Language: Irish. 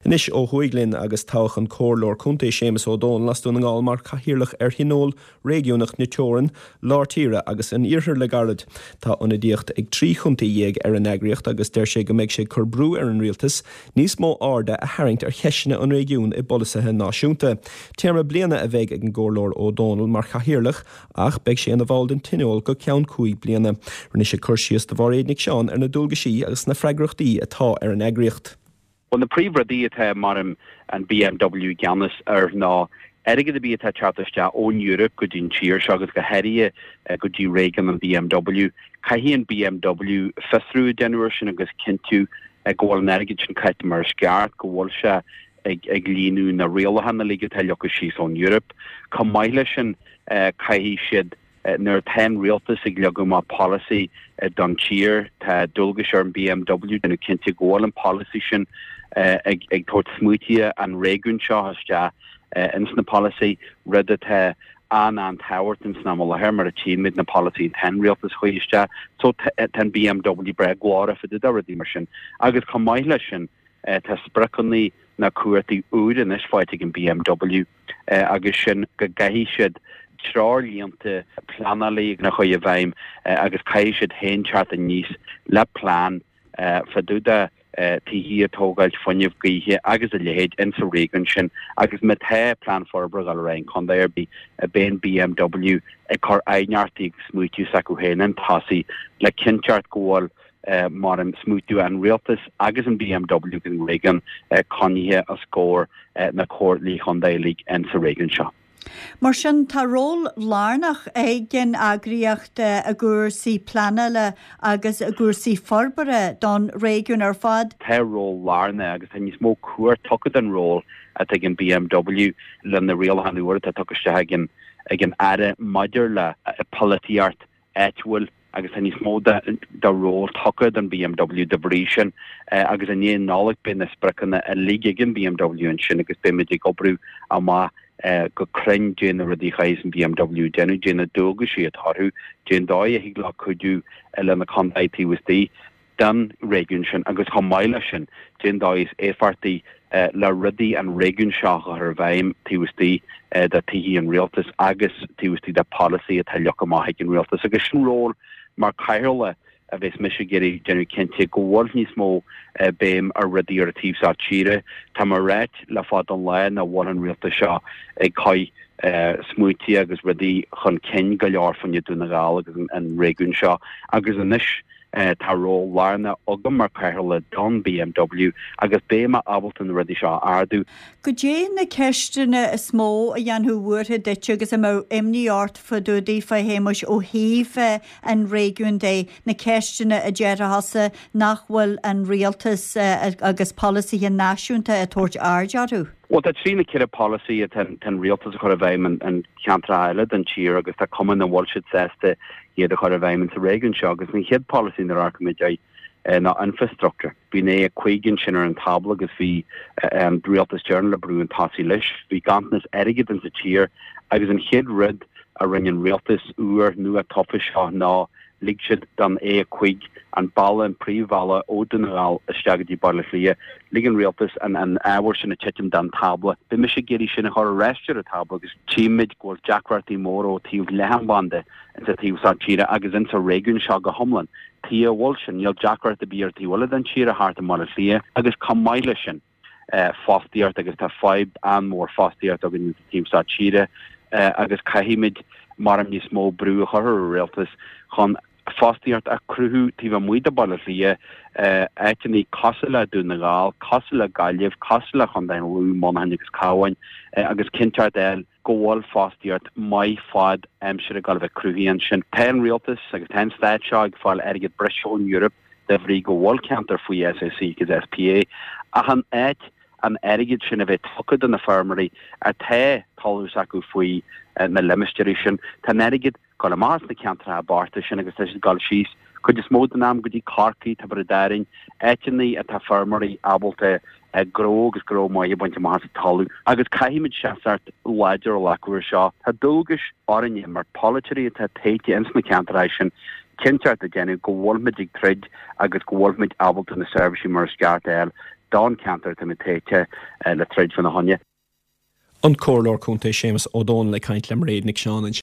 Anois ó thuaidh linn agus toghadh an Comhairleoir Contae Séamus Ó Dónaill as Dún na nGall mar Chathaoirleach ar Thionól Réigiúnach na Teorann, Lár Tíre agus an Iarthair le gairid. Tá ionadaíocht ag 13 chontae ar an eagraíocht agus deir sé go mbeidh sé ag cur brú ar an Rialtas níos mó airde a tharraingt ar cheisteanna an réigiúin i bpolasaithe náisiúnta. Téarma bliana a bheidh ag an gComhairleoir Ó Dónaill mar Chathaoirleach ach beidh sé ina bhall den Tionól go ceann 5 bliana. Rinne sé cur síos do Mháiréad Nic Seáin ar na dualgaisí agus na freagrachtaí atá ar an eagraíocht. Bhuel, na príomhrudaí atá mar an BMW i gceannas air ná airgead ar bith atá ag teacht isteach ón Eoraip go dtí an tír seo agus go háirithe go dtí réigiún an BMW. Caithfidh an BMW fiosrú a dhéanamh air sin agus cinntiú go bhfuil an airgead sin caite mar is ceart, go bhfuil sé ag líonadh na rialacháin uilig atá leagtha síos ón Eoraip. Chomh maith leis sin, caithfidh siad, nuair atá an rialtas ag leagadh amach polasaí don tír, tá dualgais ar an BMW déanamh cinnte go bhfuil an polasaí sin ag tabhairt smaoitithe an réigiúin seo isteach ins na polasaí, rud atá an-an-tábhachtach ins an am i láthair mar a tchímid na polasaí atá an rialtas a chur isteach. So tá an BMW breá glórach fá dtaobh de rudaí mar sin. Agus chomh maith leis sin, Tá spriocanna nó cumhachtaí úr anois faighte ag an BMW agus sin go gcaithfidh siad treoirlínte pleanála a chur i bhfeidhm agus caithfidh siad féin teacht aníos le plean fá dtaobh de tithí a tógáilt, fuinneamh gaoithe agus a leithéid insa réigiún sin agus má tá plean forbartha ag dul ar aghaidh in contae ar bith, beidh an BMW ag cur aighneachtaí agus smaoitiú s'acu féin chun tosaigh le cinnteacht go bhfuil mar an smaoitiú an rialtas agus an BMW agus an réigiún coinnithe os comhair na comhairlí chontae uilig in sa réigiún seo. Mar sin, tá ról lárnach ag an eagraíocht i gcúrsaí pleanála agus i gcúrsaí forbartha don réigiún ar fad. Tá ról lárnach agus tá níos mó cumhacht tugtha don ról atá ag an BMW le na rialacháin úra atá tugtha isteach ag an ag an Aire maidir le polaitíocht áitiúil agus tá níos mó de ról tugtha don BMW de bhrí sin agus i ndiaidh Nollag beidh na spriocanna uilig ag an BMW ansin agus beimid ag oibriú amach go cruinn caidé na rudaí a chaithfeas an BMW déanamh, caidé na dualgaisí atá orthu, caidé an dóigh a thig leo cuidiú le na contaetha taobh istigh. den réigiún sin agus chomh maith leis sin, cén dóigh is éifeachtaí le rudaí an réigiún seo a chur i bhfeidhm taobh istigh de tithí an rialtais agus taobh istigh de polasaí atá leagtha amach ag an rialtas. Agus sin ról mar cathaoirleach a bheas mise ag iarraidh déanamh cinnte go bhfuil níos mó béim ar rudaí ar an taobh seo tíre. Tá mé ag ráit le fada an lá nach bhfuil an rialtas seo ag cur smaointí agus rudaí chun cinn go leor fá choinne Dún na nGall agus an réigiún seo agus anois Tá ról lárnach agam mar chathaoirleach don BMW agus beidh mé ábalta na rudaí seo a ardú. Goidé na ceisteanna is mó a dhéanfadh buartha duit agus a mbeadh imní ort fá dtaobh daofa, a Shéamuis, ó thaobh an réigiúin de, na ceisteanna a déarfá thusa nach bhfuil an rialtas agus polasaithe náisiúnta ag tabhairt aird orthu? Bhuel, tá trí nó ceithre polasaí atá an rialtas a chur i bhfeidhm in ceantracha eile den tír agus tá cuma nach bhfuil siad sásta iad a chur i bhfeidhm insa réigiún seo agus an chéad polasaí nuair a amharcaimid air ná infrastructure. Bhí an A5 ansin ar an tábla agus bhí an rialtas deireanach le brú chun tosaigh leis. Bhí ganntanas airgid insa tír agus an chéad rud a rinne an rialtas úr nua tofa seo ná Lig siad don A5, an bealach, an príomhbhealach ó Dún na nGall isteach go dtí Baile Átha Cliath, lig an rialtas an ábhar sin a titim den tábla. Beidh mise ag iarraidh sin a chur ar ais ar an tábla agus tchímid go bhfuil deacrachtaí móra ó taobh leathanbhanda insa taobh seo tíre agus insa réigiún seo go hiomlán. Tuige a bhfuil sin? Níl deacracht ar bith ar taobh eile den tír thart i mBaile Átha Cliath agus chomh maith leis sin, fostaíocht agus tá fadhb an-mhór fostaíocht againn sa taobh seo tíre agus caithfimid mar níos mó brú a chur ar an rialtas chun fostaíocht a chruthú taobh amuigh de Bhaile Átha Cliath, áiteanna cosúil le Dún na nGall, cosúil le Gaillimh, cosúil le Contae an Lú, Monaghan agus Cabhán agus cinnteacht a fháil go bhfuil fostaíocht maith fad aimsire ag dul a bheith cruthaithe ansin. Tá an rialtas agus tá an stát seo ag fáil airgead breise ón Eoraip de bhrí go bhfuil ceantar faoi SAC agus SPA ach in áit an airgid sin a bheith tugtha do na feirmeoirí atá talamh s'acu faoi na limistéirí sin, tá an airgead dul amach as na ceantracha bochta sin agus tá siad ag dul síos cuid is mó den am go dtí Corcaigh, Tiobraid Árainn, áiteanna atá feirmeoirí ábalta gnó agus gnó maith a bhaint amach as an talamh. Agus caithfimid seasamh láidir a ghlacadh ar seo. Tá dualgais orainne mar pholaiteoirí atá tofa ins na ceantracha sin cinnteacht a dhéanamh go bhfuilmid ag troid agus go bhfuilmid ábalta na seirbhísí mar is ceart a fháil. Don cheantar táimid tofa le troid fána choinne. An Comhairleoir Contae Séamus Ó Dónaill ag caint le Mairéad Nic Seáin.